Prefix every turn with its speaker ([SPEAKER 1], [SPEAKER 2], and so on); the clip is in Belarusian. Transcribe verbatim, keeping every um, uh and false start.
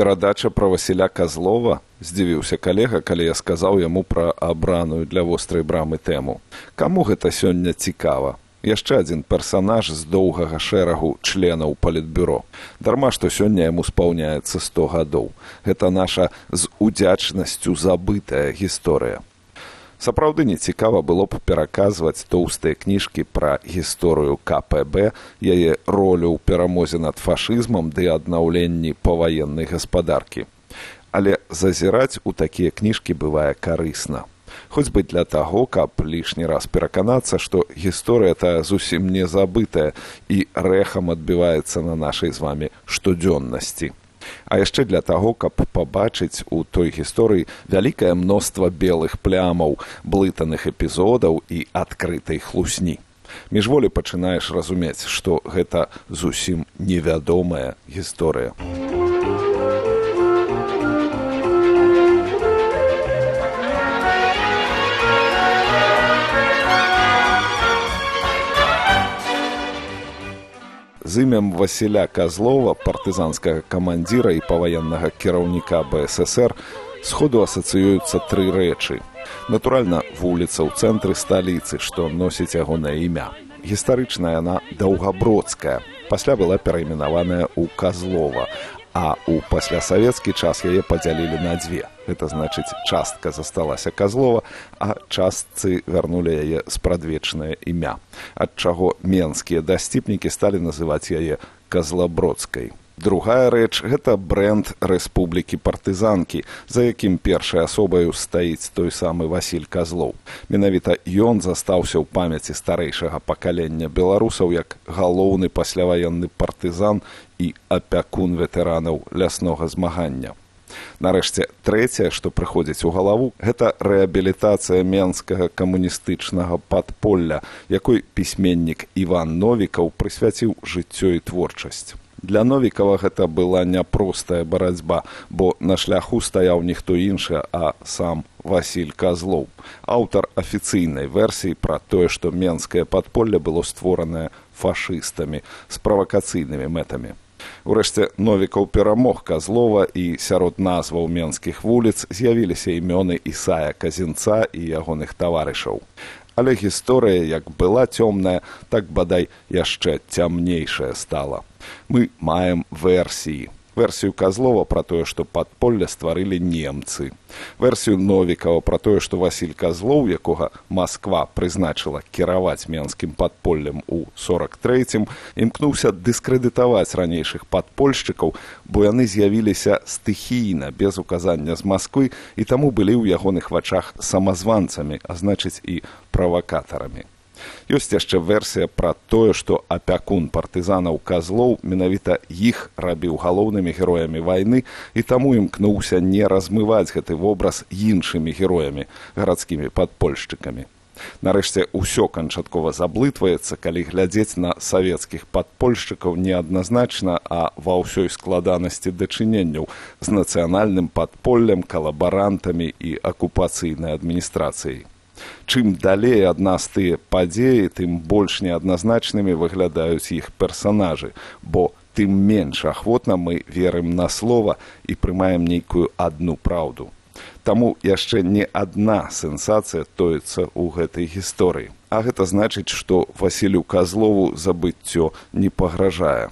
[SPEAKER 1] Перадача пра Васіля Казлова? Здзівіўся калега, калі я сказаў яму пра абраную для вострай брамы тэму. Каму гэта сёння цікава? Яшчэ адзін персанаж з доўгага шэрагу членаў палітбюро. Дарма, што сёння яму спаўняецца сто гадоў. Гэта наша з удзячнасцю забытая гісторыя. Сапраўды не цікава было б пераказваць тоўстыя кніжкі пра гісторыю ка пэ бэ, яе ролю ў перамозе над фашызмам ды аднаўленні паваеннай гаспадаркі. Але зазіраць у такія кніжкі бывае карысна. Хоць бы для таго, каб лішні раз пераканацца, што гісторыя тая зусім не забытая і рэхам адбіваецца на нашай з вамі штодзённасці. А яшчэ для таго, каб пабачыць у той гісторыі вялікае мноства белых плямаў, блытаных эпізодаў і адкрытай хлусні. Міжволі пачынаеш разумець, што гэта зусім невядомая гісторыя. З імем Васіля Казлова, партызанскага камандзіра і паваеннага кіраўніка бэ эс эс эр, сходу асацыююцца тры рэчы. Натуральна, вуліца ў цэнтры сталіцы, што носіць ягонае імя. Гістарычная яна Даўгабродская, пасля была перайменаваная ў Казлова, а ў паслясавецкі час яе падзялілі на дзве. Гэта значыць, частка засталася Казлова, а частцы вярнулі яе спрадвечнае імя, ад чаго менскія дасціпнікі сталі называць яе Казлабродскай. Другая рэч – гэта брэнд рэспублікі партызанкі, за якім першай асобаю стаіць той самы Васіль Казлоў. Менавіта ён застаўся ў памяці старэйшага пакалення беларусаў як галоўны пасляваенны партызан і апякун ветэранаў ляснога змагання. Нарэшце, трэцяе, што прыходзіць у галаву, гэта рэабілітацыя менскага камуністычнага падполля, якой пісьменнік Іван Новікаў прысвяціў жыццё і творчасць. Для Новікава гэта была няпростая барацьба, бо на шляху стаяў ніхто іншы, а сам Васіль Казлоў, аўтар афіцыйнай версіі пра тое, што менскае падполле было створанае фашыстамі з правакацыйнымі мэтамі. Урэшце, Новікаў перамог Казлова, і сярод назваў менскіх вуліц з'явіліся імёны Ісая Казінца і ягоных таварышаў. Але гісторыя, як была цёмная, так бадай яшчэ цямнейшая стала. Мы маем версіі. Версію Казлова пра тое, што падполле стварылі немцы. Версію Новікава пра тое, што Васіль Казлоў, якога Масква прызначыла кіраваць менскім падполлем у сорак трэцім, імкнуўся дыскрэдытаваць ранейшых падпольшчыкаў, бо яны з'явіліся стыхійна, без указання з Масквы, і таму былі ў ягоных вачах самазванцамі, а значыць і правакатарамі. Ёсць яшчэ версія пра тое, што апякун партызанаў Казлоў менавіта іх рабіў галоўнымі героямі вайны, і таму імкнуўся не размываць гэты вобраз іншымі героямі, гарадскімі падпольшчыкамі. Нарэшце, усё канчаткова заблытваецца, калі глядзець на савецкіх падпольшчыкаў неадназначна, а ва ўсёй складанасці дачыненняў з нацыянальным падполлем, калабарантамі і акупацыйнай адміністрацыяй. Чым далей ад нас тыя падзеі, тым больш неадназначнымі выглядаюць іх персанажы, бо тым менш ахвотна мы верым на слова і прымаем нейкую адну праўду. Таму яшчэ не адна сенсацыя тоіцца ў гэтай гісторыі. А гэта значыць, што Васілю Казлову забыццё не пагражае.